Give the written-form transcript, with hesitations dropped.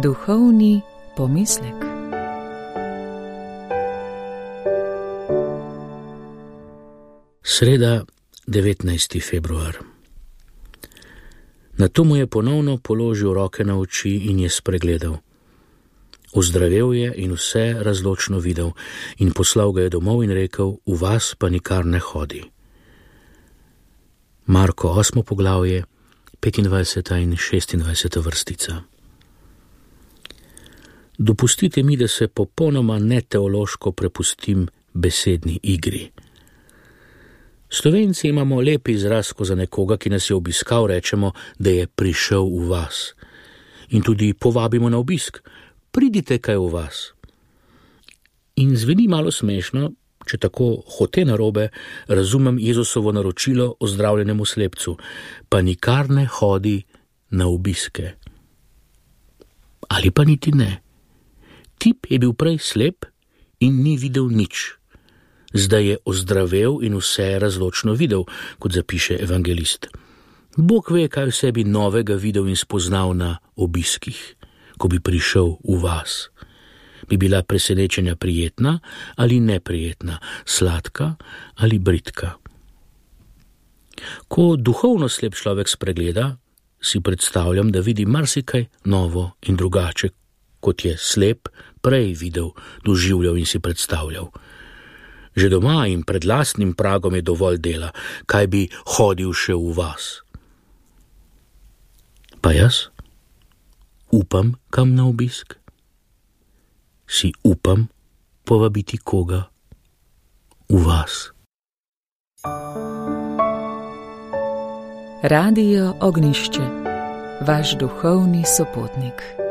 Duhovni pomislek. Sreda, 19. februar. Nato mu je ponovno položil roke na oči in je spregledal. Ozdravel je in vse razločno videl in poslal ga je domov in rekel: v vas pa nikar ne hodi. Marko 8. poglavje, 25. in 26. vrstica. Dopustite mi, da se popolnoma neteološko prepustim besedni igri. Slovenci imamo lep izraz, ko za nekoga, ki nas je obiskal, rečemo, da je prišel v vas. In tudi povabimo na obisk: pridite kaj v vas. In zveni malo smešno, če tako hote narobe razumem Jezusovo naročilo ozdravljenemu slepcu: pa nikar ne hodi na obiske. Ali pa niti ne. Tip je bil prej slep in ni videl nič. Zdaj je ozdravel in vse razločno videl, kot zapiše evangelist. Bog ve, kaj v sebi novega videl in spoznal na obiskih, ko bi prišel v vas. Bi bila presenečenja prijetna ali neprijetna, sladka ali bridka. Ko duhovno slep človek spregleda, si predstavljam, da vidi marsikaj novo in drugače, kot je slep prej videl, doživljal in si predstavljal. Že doma in pred lastnim pragom je dovolj dela, kaj bi hodil še v vas. Pa jaz? Upam kam na obisk? Si upam povabiti koga v vas? Radio Ognjišče, vaš duhovni sopotnik.